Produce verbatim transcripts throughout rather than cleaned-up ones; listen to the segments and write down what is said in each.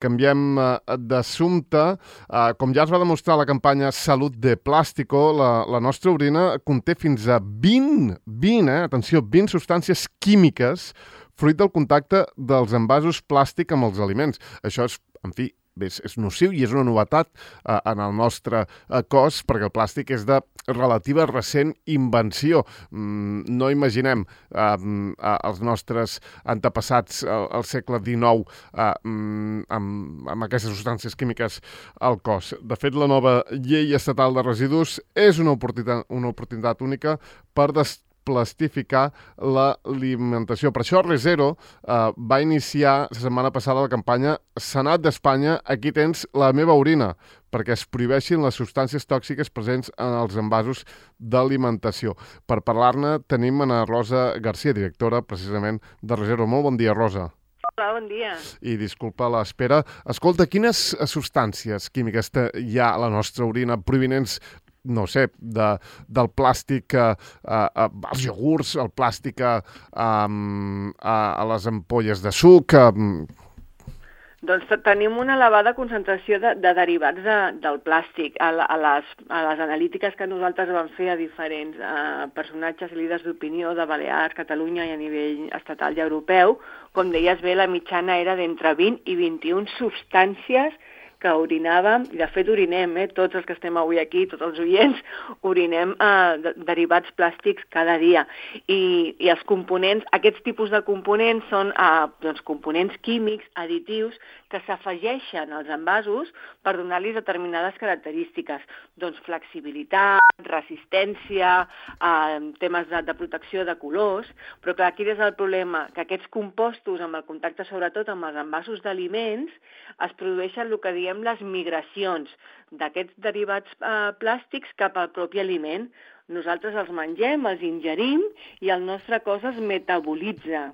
Canviem uh, d'assumpte. Uh, com ja es va demostrar a la campanya Salut de Plàstico, la, la nostra orina conté fins a vint, vint, eh, atenció, vint substàncies químiques fruit del contacte dels envasos plàstic amb els aliments. Això és, en fi, és, és nociu i és una novetat eh, en el nostre eh, cos, perquè el plàstic és de relativa recent invenció. Mm, no imaginem eh, eh, els nostres antepassats al, al segle dinou eh, mm, amb, amb aquestes substàncies químiques al cos. De fet, la nova llei estatal de residus és una oportunitat, una oportunitat única per des plastificar l'alimentació. Per això ReZero eh, va iniciar la setmana passada la campanya Senat d'Espanya, aquí tens la meva orina, perquè es prohibeixin les substàncies tòxiques presents en els envasos d'alimentació. Per parlar-ne tenim Ana Rosa García, directora precisament de ReZero. Molt bon dia, Rosa. Hola, bon dia. I disculpa l'espera. Escolta, quines substàncies químiques hi ha a la nostra orina provinents, no sé, de, del plàstic a, a, a, als iogurts, el plàstic a, a, a, a les ampolles de suc? A... Doncs tenim una elevada concentració de, de derivats de, del plàstic. A, a, les, a les analítiques que nosaltres vam fer a diferents eh, personatges i líders d'opinió de Balears, Catalunya i a nivell estatal i europeu, com deies bé, la mitjana era d'entre vint i vint-i-una substàncies que orinàvem, i de fet orinem, eh, tots els que estem avui aquí, tots els oients, orinem eh, de, derivats plàstics cada dia. I, i els components, aquests tipus de components són eh, doncs, components químics, additius, que s'afegeixen als envasos per donar-li determinades característiques. Doncs flexibilitat, resistència, eh, temes de, de protecció de colors, però clar, aquí és el problema, que aquests compostos, amb el contacte sobretot amb els envasos d'aliments, es produeixen el que diem les migracions d'aquests derivats eh, plàstics cap al propi aliment. Nosaltres els mengem, els ingerim i el nostre cos es metabolitza.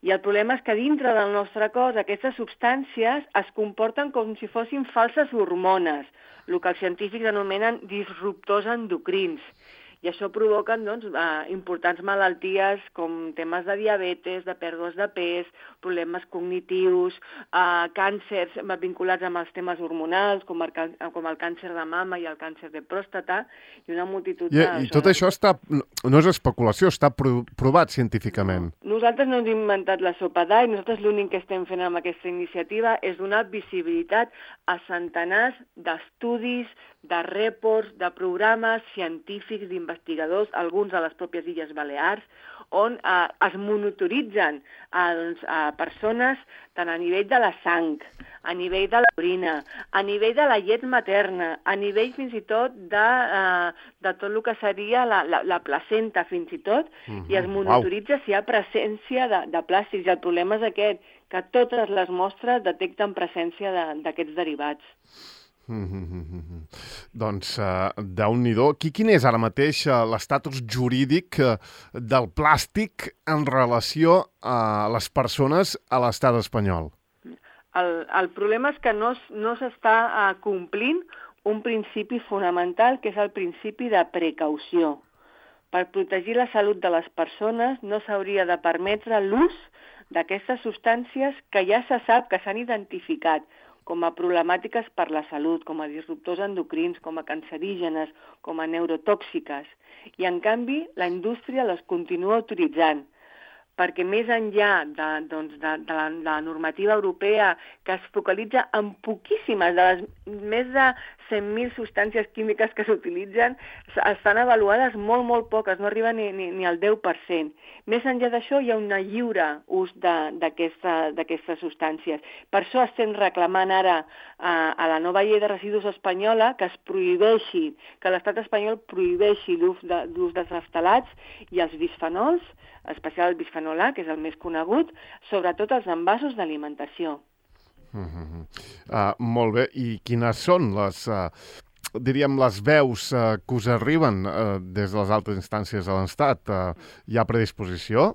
I el problema és que dintre del nostre cos aquestes substàncies es comporten com si fossin falses hormones, el que els científics anomenen disruptors endocrins. I això provoca doncs, eh, importants malalties com temes de diabetes, de pèrdues de pes, problemes cognitius, eh, càncers vinculats amb els temes hormonals, com el, com el càncer de mama i el càncer de pròstata, i una multitud I, de... I tot això està, no és especulació, està provat científicament. Nosaltres no hem inventat la sopa d'all, nosaltres l'únic que estem fent amb aquesta iniciativa és donar visibilitat a centenars d'estudis, de reports, de programes científics, d'investigadors, alguns a les pròpies Illes Balears, on eh, es monitoritzen a, doncs, a persones tant a nivell de la sang, a nivell de l'orina, a nivell de la llet materna, a nivell fins i tot de, eh, de tot el que seria la, la, la placenta, fins i tot, mm-hmm. i es monitoritza wow. si hi ha presència de, de plàstics. I el problema és aquest, que totes les mostres detecten presència d'aquests de, derivats. Mm-hmm. Doncs, uh, déu-n'hi-do. Quin és ara mateix uh, l'estatus jurídic uh, del plàstic en relació a les persones a l'estat espanyol? El, el problema és que no, no s'està uh, complint un principi fonamental, que és el principi de precaució. Per protegir la salut de les persones no s'hauria de permetre l'ús d'aquestes substàncies que ja se sap que s'han identificat com a problemàtiques per la salut, com a disruptors endocrins, com a cancerígenes, com a neurotòxiques. I, en canvi, la indústria les continua autoritzant, perquè més enllà de, doncs, de, de, la, de la normativa europea, que es focalitza en poquíssimes, de les més de cent mil substàncies químiques que s'utilitzen, estan avaluades molt, molt poques, no arriba ni, ni, ni al deu per cent. Més enllà d'això, hi ha un lliure ús d'aquestes substàncies. Per això estem reclamant ara a, a la nova llei de residus espanyola que es prohibeixi, que l'estat espanyol prohibeixi l'ús de, dels raftalats i els bisfenols, especial el bisfenol A, que és el més conegut, sobretot els envasos d'alimentació. Mm-hmm. uh, molt bé. I quines són les, uh, diríem, les veus uh, que us arriben uh, des de les altres instàncies de l'Estat? Uh, hi ha predisposició?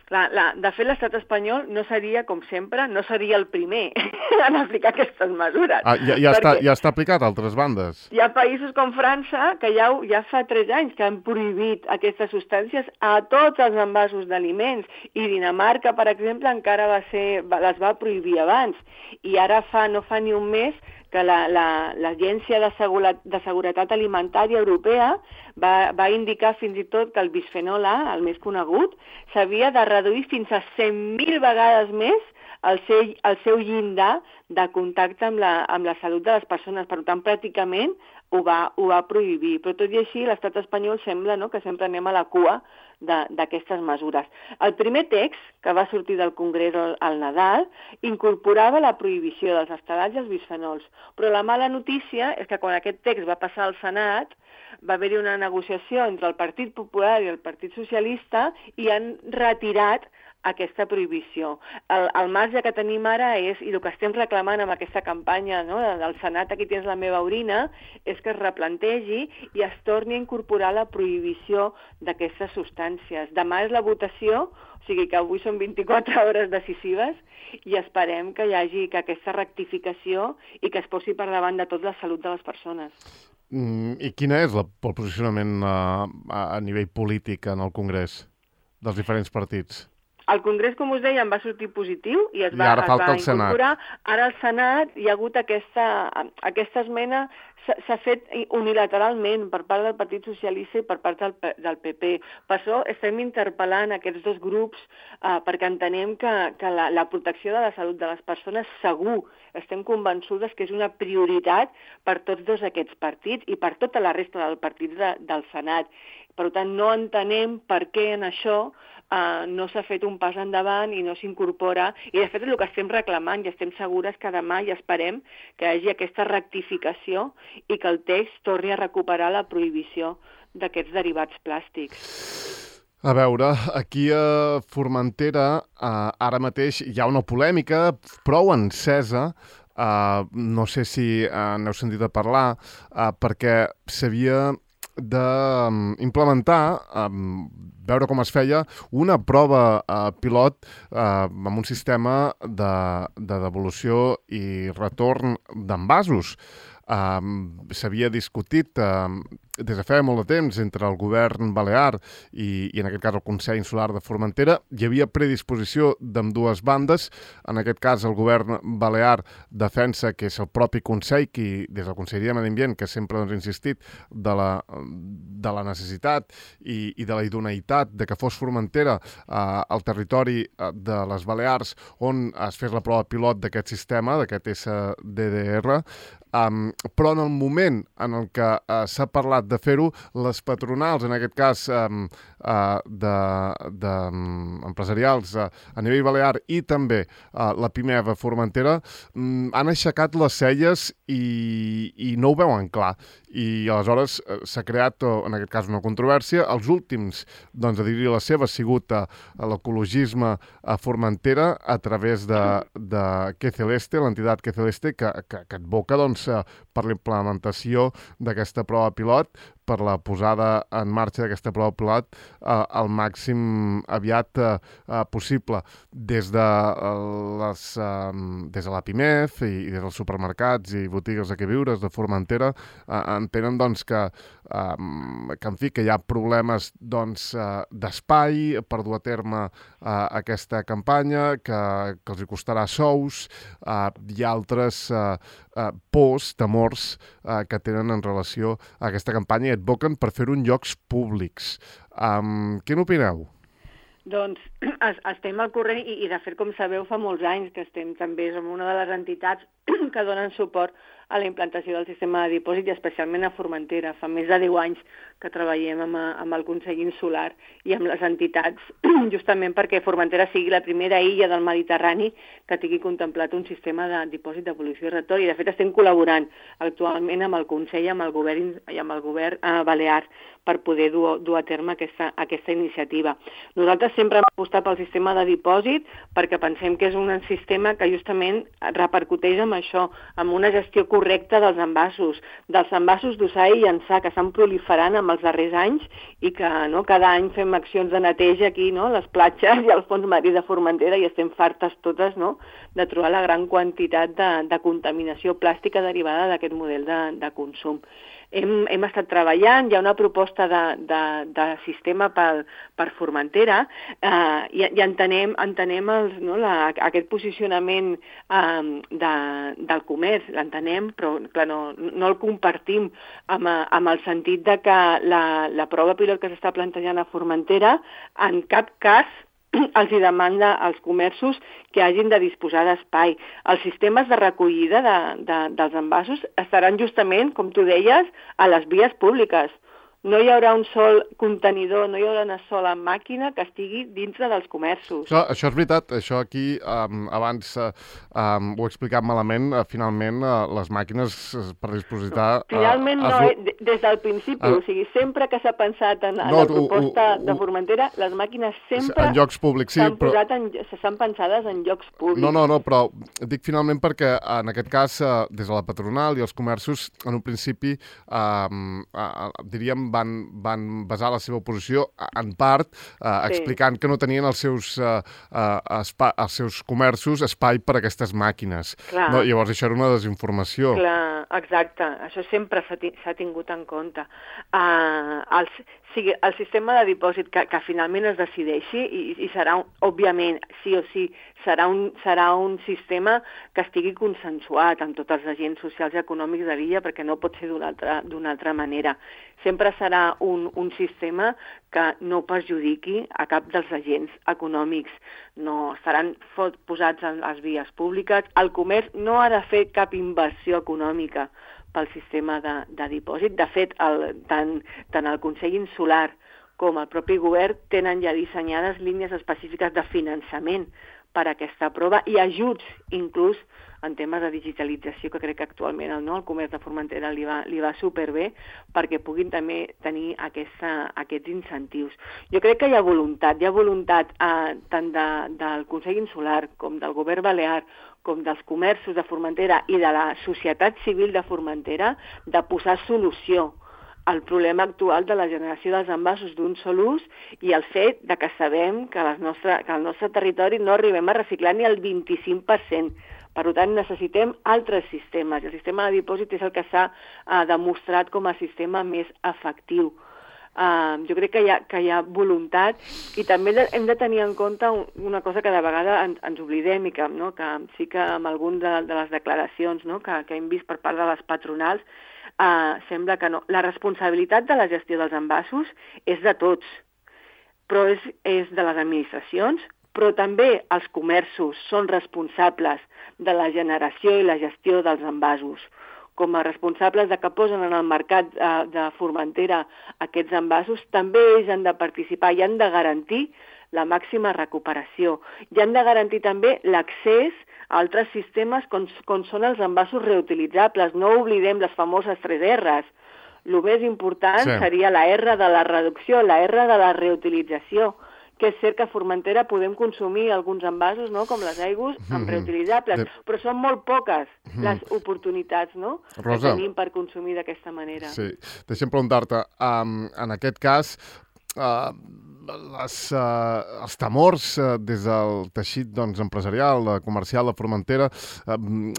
La, la, de fet, l'estat espanyol no seria, com sempre, no seria el primer en aplicar aquestes mesures. Ah, ja, ja, està, ja està aplicat a altres bandes. Hi ha països com França que ja, ja fa tres anys que han prohibit aquestes substàncies a tots els envasos d'aliments, i Dinamarca, per exemple, encara va ser, les va prohibir abans, i ara fa no fa ni un mes que l'Agència la, la, de, de Seguretat Alimentària Europea va, va indicar fins i tot que el bisfenol A, el més conegut, s'havia de reduir fins a cent mil vegades més el seu, el seu llindar de contacte amb la, amb la salut de les persones. Per tant, pràcticament ho va, ho va prohibir. Però tot i així, l'estat espanyol sembla, no?, que sempre anem a la cua d'aquestes mesures. El primer text que va sortir del Congrés al, al Nadal incorporava la prohibició dels estelats i els bisfenols, però la mala notícia és que quan aquest text va passar al Senat va haver-hi una negociació entre el Partit Popular i el Partit Socialista i han retirat aquesta prohibició. El, el marge que tenim ara és, i el que estem reclamant amb aquesta campanya, no?, del Senat, aquí tens la meva orina, és que es replantegi i es torni a incorporar la prohibició d'aquestes substàncies. Demà és la votació, o sigui que avui són vint-i-quatre hores decisives, i esperem que hi hagi que aquesta rectificació i que es posi per davant de tot la salut de les persones. Mm, I quin és la, el posicionament a, a nivell polític en el Congrés dels diferents partits? El Congrés, com us deia, en va sortir positiu i es I va, ara es falta va el Senat. incorporar. Ara al Senat hi ha hagut aquesta, aquesta esmena, s'ha fet unilateralment per part del Partit Socialista i per part del, del P P. Per això estem interpel·lant aquests dos grups eh, perquè entenem que, que la, la protecció de la salut de les persones segur, estem convençudes que és una prioritat per tots dos aquests partits i per tota la resta dels partits de, del Senat. Per tant, no entenem per què en això Uh, no s'ha fet un pas endavant i no s'incorpora, i de fet és el que estem reclamant i estem segures que demà i esperem que hi hagi aquesta rectificació i que el text torni a recuperar la prohibició d'aquests derivats plàstics. A veure, aquí a Formentera uh, ara mateix hi ha una polèmica prou encesa. Uh, no sé si uh, n'heu sentit a parlar, uh, perquè s'havia d'implementar, um, veure com es feia, una prova uh, pilot uh, amb un sistema de, de devolució i retorn d'envasos. Um, s'havia discutit um, des de feia molt de temps entre el govern balear i, i en aquest cas el Consell Insular de Formentera. Hi havia predisposició d'ambdues bandes. En aquest cas el govern balear defensa que és el propi Consell qui, des del Consell de Medi Ambient, que sempre doncs, ha insistit de la, de la necessitat i, i de la idoneïtat de que fos Formentera eh, el territori de les Balears on es fes la prova pilot d'aquest sistema, d'aquest S D D R. Um, però en el moment en el que uh, s'ha parlat de fer-ho, les patronals, en aquest cas um, uh, de, de, um, empresarials uh, a nivell balear i també uh, la Pimeva Formentera, um, han aixecat les celles i, i no ho veuen clar. I aleshores uh, s'ha creat, uh, en aquest cas, una controvèrsia. Els últims doncs, a dir-hi la seva ha sigut uh, l'ecologisme a Formentera a través de, de Que Celeste, l'entitat Que Celeste, que, que, que advoca doncs, per la implementació d'aquesta prova pilot, per la posada en marxa d'aquesta prova pilot eh, al màxim aviat eh, possible. Des de, les, eh, des de la Pimef i, i des dels supermercats i botigues de queviures de Formentera eh, entenen doncs, que, eh, que, en fi, que hi ha problemes doncs, eh, d'espai per dur a terme eh, aquesta campanya, que, que els hi costarà sous, eh, i altres eh, eh, pors, temors eh, que tenen en relació a aquesta campanya i advoquen per fer-ho en llocs públics. Um, què n'opineu? Doncs estem al corrent i, i de fet, com sabeu, fa molts anys que estem també, som una de les entitats que donen suport a la implantació del sistema de dipòsit i especialment a Formentera. Fa més de deu anys que treballem amb, amb el Consell Insular i amb les entitats, justament perquè Formentera sigui la primera illa del Mediterrani que tingui contemplat un sistema de dipòsit, devolució i retorn. I de fet estem col·laborant actualment amb el Consell i amb el govern, i amb el govern eh, balear per poder dur, dur a terme aquesta, aquesta iniciativa. Nosaltres sempre hem apostat pel sistema de dipòsit perquè pensem que és un sistema que justament repercuteix en això, amb una gestió correcta dels envasos, dels envasos d'usar i llançar, que estan proliferant amb els darrers anys i que no, cada any fem accions de neteja aquí, no?, les platges i al fons marí de Formentera, i estem fartes totes, no?, de trobar la gran quantitat de, de contaminació plàstica derivada d'aquest model de, de consum. Hem, hem estat treballant, hi ha una proposta de, de, de sistema per, per Formentera eh, i, i entenem, entenem els, no, la, aquest posicionament eh, de, del comerç, l'entenem, però clar, no, no el compartim amb, amb el sentit de que la, la prova pilot que s'està plantejant a Formentera en cap cas els hi demanda als comerços que hagin de disposar d'espai. Els sistemes de recollida de, de, dels envasos estaran justament, com tu deies, a les vies públiques. No hi haurà un sol contenidor, no hi haurà una sola màquina que estigui dintre dels comerços. Això, això és veritat, això aquí um, abans uh, um, ho he explicat malament, uh, finalment uh, les màquines per dispositar... Uh, finalment no, es... eh, des del principi, uh, o sigui, sempre que s'ha pensat en, en no, la proposta uh, uh, de Formentera, les màquines sempre en llocs públics, sí, s'han però... posat en, s'han pensades en llocs públics. No, no, no, però dic finalment perquè en aquest cas, uh, des de la patronal i els comerços, en un principi, uh, uh, diríem, van, van basar la seva oposició en part eh, sí. explicant que no tenien els seus, eh, eh, espa, els seus comerços espai per a aquestes màquines. No, llavors això era una desinformació. Clar, exacte. Això sempre s'ha tingut en compte. Uh, el, sigui, el sistema de dipòsit que, que finalment es decideixi i, i serà, un, òbviament, sí o sí, serà un, serà un sistema que estigui consensuat amb tots els agents socials i econòmics de l'illa, perquè no pot ser d'una altra, d'una altra manera. Sempre serà un, un sistema que no perjudiqui a cap dels agents econòmics. No estaran posats en les vies públiques. El comerç no ha de fer cap inversió econòmica pel sistema de, de dipòsit. De fet, el, tant, tant el Consell Insular com el propi govern tenen ja dissenyades línies específiques de finançament per a aquesta prova i ajuts, inclús en temes de digitalització, que crec que actualment el, no, el comerç de Formentera li va, li va superbé perquè puguin també tenir aquesta, aquests incentius. Jo crec que hi ha voluntat, hi ha voluntat eh, tant de, del Consell Insular com del govern balear, com dels comerços de Formentera i de la societat civil de Formentera, de posar solució al problema actual de la generació dels envasos d'un sol ús i el fet de que sabem que, les nostre, que al nostre territori no arribem a reciclar ni el vint-i-cinc per cent. Per tant, necessitem altres sistemes. El sistema de dipòsit és el que s'ha uh, demostrat com a sistema més efectiu. Uh, jo crec que hi, ha, que hi ha voluntat i també hem de tenir en compte una cosa que de vegades ens, ens oblidem i que, no, que sí que amb algunes de, de les declaracions, no, que, que hem vist per part de les patronals uh, sembla que no. La responsabilitat de la gestió dels envasos és de tots, però és, és de les administracions, però també els comerços són responsables de la generació i la gestió dels envasos. Com a responsables de que posen en el mercat eh, de Formentera aquests envasos, també ells han de participar i han de garantir la màxima recuperació. I han de garantir també l'accés a altres sistemes com, com són els envasos reutilitzables. No oblidem les famoses tres erres. El més important sí. seria la erra de la reducció, la erra de la reutilització, que és cert que a Formentera podem consumir alguns envasos, no?, com les aigües, amb reutilitzables, de... però són molt poques les oportunitats, no?, Rosa, que tenim per consumir d'aquesta manera. Sí, deixa'm preguntar-te, um, en aquest cas, uh, les, uh, els temors uh, des del teixit doncs, empresarial, comercial de Formentera, uh,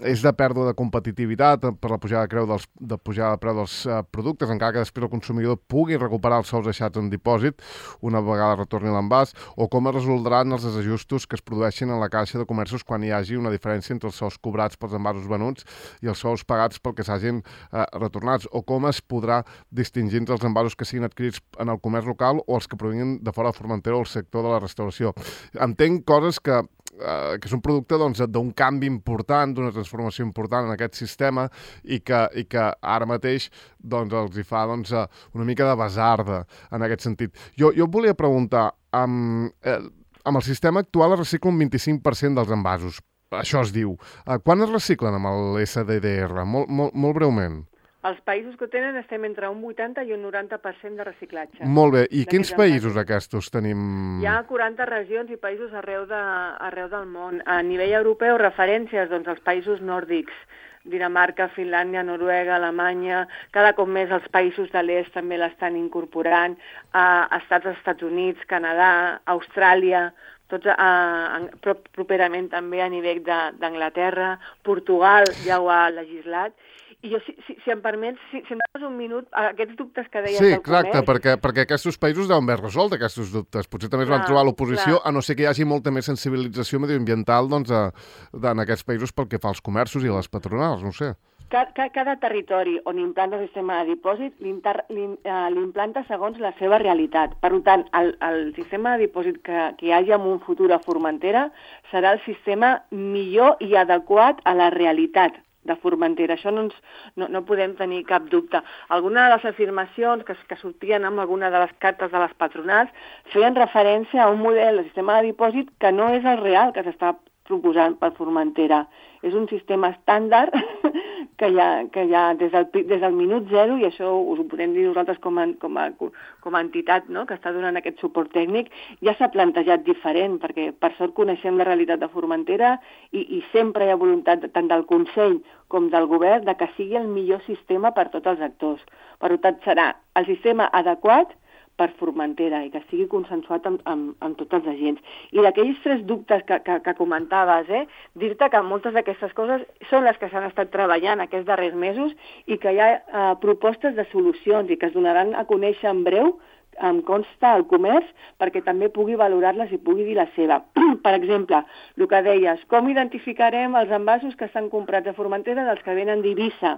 és de pèrdua de competitivitat per la pujada de, creu dels, de pujada de preu dels uh, productes, encara que després el consumidor pugui recuperar els sous deixats en dipòsit una vegada retorni l'envàs, o com es resoldran els desajustos que es produeixin en la caixa de comerços quan hi hagi una diferència entre els sous cobrats pels envasos venuts i els sous pagats pel que s'hagin uh, retornats, o com es podrà distingir entre els envasos que siguin adquirits en el comerç local o els que provinguin de fora de Formentera o el sector de la restauració. Entenc coses que, eh, que són producte doncs, d'un canvi important, d'una transformació important en aquest sistema i que, i que ara mateix doncs, els hi fa doncs, una mica de basarda en aquest sentit. Jo, jo volia preguntar, amb, eh, amb el sistema actual es recicla un vint-i-cinc per cent dels envasos. Això es diu. Eh, quan es reciclen amb l'S D D R? Molt, molt, molt breument. Els països que ho tenen estem entre un vuitanta i un noranta per cent de reciclatge. Molt bé. I quins països aquests tenim? Hi ha quaranta regions i països arreu, de, arreu del món. A nivell europeu, referències, doncs, els països nòrdics, Dinamarca, Finlàndia, Noruega, Alemanya, cada cop més els països de l'est també l'estan incorporant, a estats dels Estats Units, Canadà, Austràlia, tots a, a, properament també a nivell d'Anglaterra, Portugal ja ho ha legislat. I jo, si, si, si em permets, si, si em dones un minut, aquests dubtes que deies sí, del exacte, comerç... perquè, perquè aquests països deuen haver resolt aquests dubtes. Potser també es van trobar l'oposició, a no ser que hi hagi molta més sensibilització mediambiental doncs, a, en aquests països pel que fa als comerços i a les patronals, no ho sé. Cada, cada territori on implanta el sistema de dipòsit l'implanta segons la seva realitat. Per tant, el, el sistema de dipòsit que, que hi hagi en un futur a Formentera serà el sistema millor i adequat a la realitat de Formentera. Això no, ens, no, no podem tenir cap dubte. Algunes de les afirmacions que, que sortien amb alguna de les cartes de les patronals feien referència a un model de sistema de dipòsit que no és el real que s'està proposant per Formentera. És un sistema estàndard que hi ha, que hi ha des, del, des del minut zero, i això us ho podem dir nosaltres com a, com a, com a entitat, no?, que està donant aquest suport tècnic, ja s'ha plantejat diferent, perquè per sort coneixem la realitat de Formentera i, i sempre hi ha voluntat tant del Consell com del Govern de que sigui el millor sistema per tots els actors. Per tant, serà el sistema adequat per Formentera i que estigui consensuat amb, amb, amb tots els agents. I d'aquells tres dubtes que, que, que comentaves, eh, dir-te que moltes d'aquestes coses són les que s'han estat treballant aquests darrers mesos i que hi ha eh, propostes de solucions i que es donaran a conèixer en breu, em consta, al comerç, perquè també pugui valorar-les i pugui dir la seva. Per exemple, el que deies, com identificarem els envasos que estan comprats a Formentera dels que venen d'Eivissa?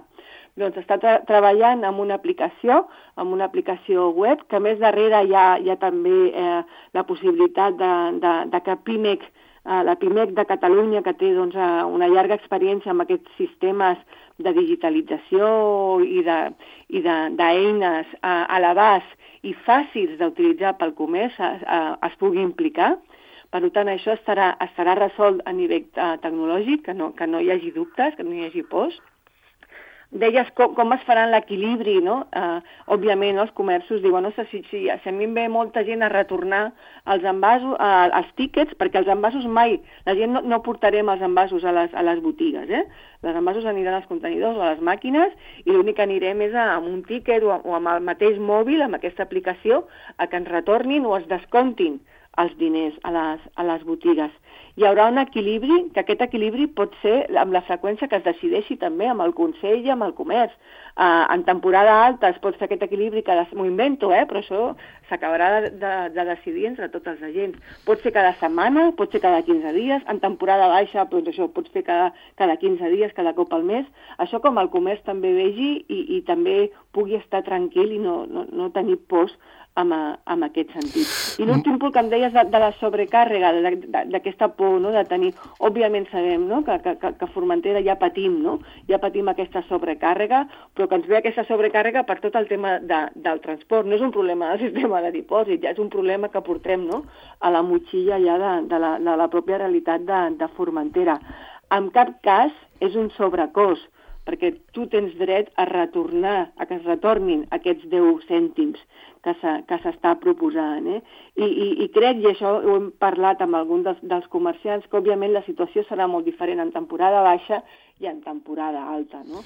Doncs està tra treballant amb una aplicació, amb una aplicació web, que més darrere hi ha, hi ha també eh, la possibilitat de, de, de que PIMEC, eh, la PIMEC de Catalunya, que té doncs, una llarga experiència amb aquests sistemes de digitalització i d'eines de, a, a l'abast i fàcils d'utilitzar pel comerç a, a, es pugui implicar. Per tant, això estarà, estarà resolt a nivell uh, tecnològic, que no, que no hi hagi dubtes, que no hi hagi pors. Deies com, com es farà l'equilibri, no? Uh, òbviament, no? Els comerços diuen, no sé si, si, si a mi em ve molta gent a retornar els envasos, uh, els tíquets, perquè els envasos mai, la gent no, no portarem els envasos a les, a les botigues, eh? Els envasos aniran als contenidors o a les màquines i l'únic que anirem és a, amb un tíquet o, o amb el mateix mòbil, amb aquesta aplicació, a que ens retornin o es descomptin els diners a les, a les botigues. Hi haurà un equilibri, que aquest equilibri pot ser amb la freqüència que es decideixi també amb el Consell i amb el comerç. Uh, en temporada alta es pot fer aquest equilibri, que m'ho invento, eh? Però això s'acabarà de, de, de decidir entre tots els agents. Pot ser cada setmana, pot ser cada quinze dies, en temporada baixa doncs això pot ser cada, cada quinze dies, cada cop al mes. Això com el comerç també vegi i, i també pugui estar tranquil i no, no, no tenir pors amb, amb aquest sentit. I l'últim punt que em deies de, de la sobrecàrrega, d'aquesta por, no?, de tenir... Òbviament sabem, no?, que, que, que a Formentera ja patim, no?, ja patim aquesta sobrecàrrega, però que ens ve aquesta sobrecàrrega per tot el tema de, del transport. No és un problema del sistema de dipòsit, ja és un problema que portem, no?, a la motxilla ja de, de, la, de la pròpia realitat de, de Formentera. En cap cas és un sobrecost, perquè tu tens dret a retornar, a que es retornin aquests deu cèntims que s'està proposant. Eh? I, i, I crec, i això ho hem parlat amb algun dels, dels comerciants, que òbviament la situació serà molt diferent en temporada baixa i en temporada alta, no?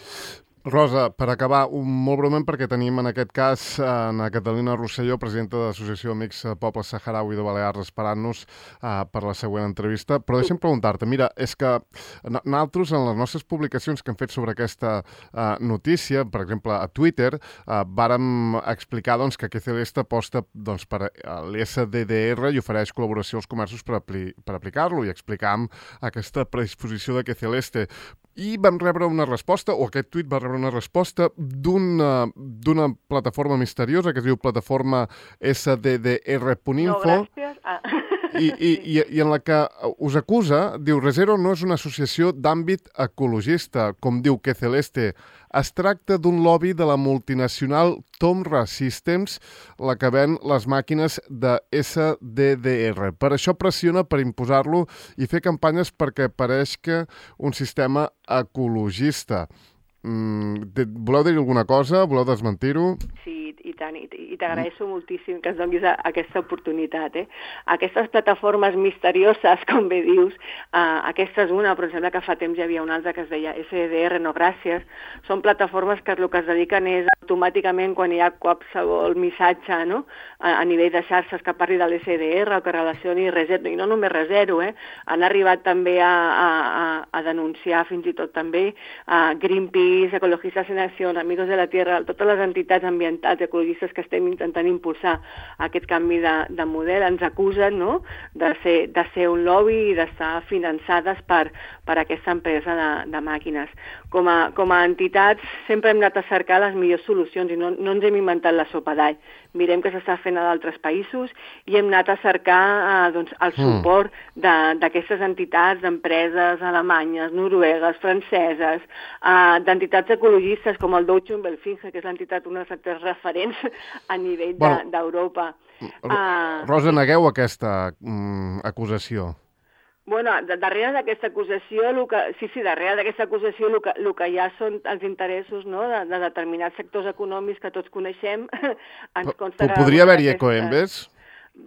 Rosa, per acabar, un molt breument, perquè tenim en aquest cas en Catalina Rosselló, presidenta de l'Associació Amics Poble Saharaui de Balears, esperant-nos uh, per la següent entrevista. Però deixa'm preguntar-te, mira, és que nosaltres en les nostres publicacions que hem fet sobre aquesta uh, notícia, per exemple, a Twitter, uh, vàrem explicar doncs, que Q Celeste aposta doncs, per l'S D D R i ofereix col·laboració als comerços per, apli per aplicar-lo, i explicàvem aquesta predisposició de Q Celeste. I vam rebre una resposta, o aquest tuit va rebre una resposta d'una d'una plataforma misteriosa que es diu plataforma S D D R punt info. No, gràcies. Ah. I, i, i, i en la que us acusa, diu, ReZero no és una associació d'àmbit ecologista, com diu Q Celeste. Es tracta d'un lobby de la multinacional Tomra Systems, la que ven les màquines de S D D R. Per això pressiona per imposar-lo i fer campanyes perquè pareixca un sistema ecologista. Mm, voleu dir alguna cosa? Voleu desmentir-ho? Sí, i tant, i t'agraeixo mm. moltíssim que ens donis aquesta oportunitat. Eh? Aquestes plataformes misterioses, com bé dius, eh, aquesta és una, però em sembla que fa temps hi havia una altra que es deia S D R, no gràcies, són plataformes que el que es dediquen és automàticament quan hi ha qualsevol missatge, no? a, a nivell de xarxes que parli de l'S D R o que relacioni reset, i no només resero, eh? han arribat també a, a, a denunciar fins i tot també a Greenpeace, Ecologistas en Acció, Amigos de la Tierra, totes les entitats ambientals ecologistes que estem intentant impulsar aquest canvi de, de model, ens acusen, no? de, ser, de ser un lobby i d'estar finançades per, per aquesta empresa de, de màquines. Com a, com a entitats sempre hem anat a cercar les millors solucions i no, no ens hem inventat la sopa d'all. Mirem què s'està fent a d'altres països i hem anat a cercar eh, doncs, el suport mm. d'aquestes entitats, d'empreses alemanyes, noruegues, franceses, eh, d'entitats ecologistes com el Deutsche Umweltfinge, que és l'entitat, una de les referents a nivell d'Europa. De, bueno, uh, Rosa, negueu aquesta mm, acusació. Bueno, darrere d'aquesta acusació, que, sí, sí, darrere d'aquesta acusació el que, el que hi ha són els interessos, no?, de, de determinats sectors econòmics que tots coneixem. Ens consta Podria haver-hi Ecoembes?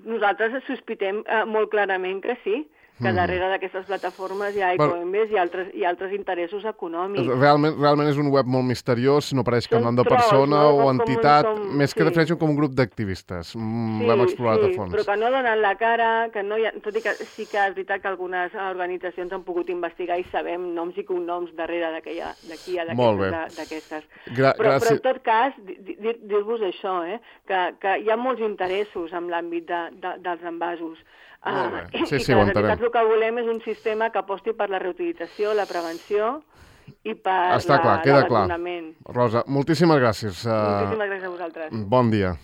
Nosaltres sospitem eh, molt clarament que sí, que darrere d'aquestes plataformes hi ha Ecoembes i altres, i altres interessos econòmics. Realment, realment és un web molt misteriós, no pareix cap nom de persona no? o entitat, com, com, més que sí. defineixen com un grup d'activistes. Mm, sí, l'hem explorat sí, a fons. Però que no donen la cara, que no hi ha, tot i que sí que és veritat que algunes organitzacions han pogut investigar i sabem noms i cognoms darrere d'aquí d'aquestes. Però, però en tot cas, dir-vos això, eh, que, que hi ha molts interessos en l'àmbit de, de, dels envasos. Uh, sí, I sí, que les entitats el que volem és un sistema que aposti per la reutilització, la prevenció i per Està clar, queda clar. l'abandonament. Rosa, moltíssimes gràcies. Moltíssimes gràcies a vosaltres. Bon dia.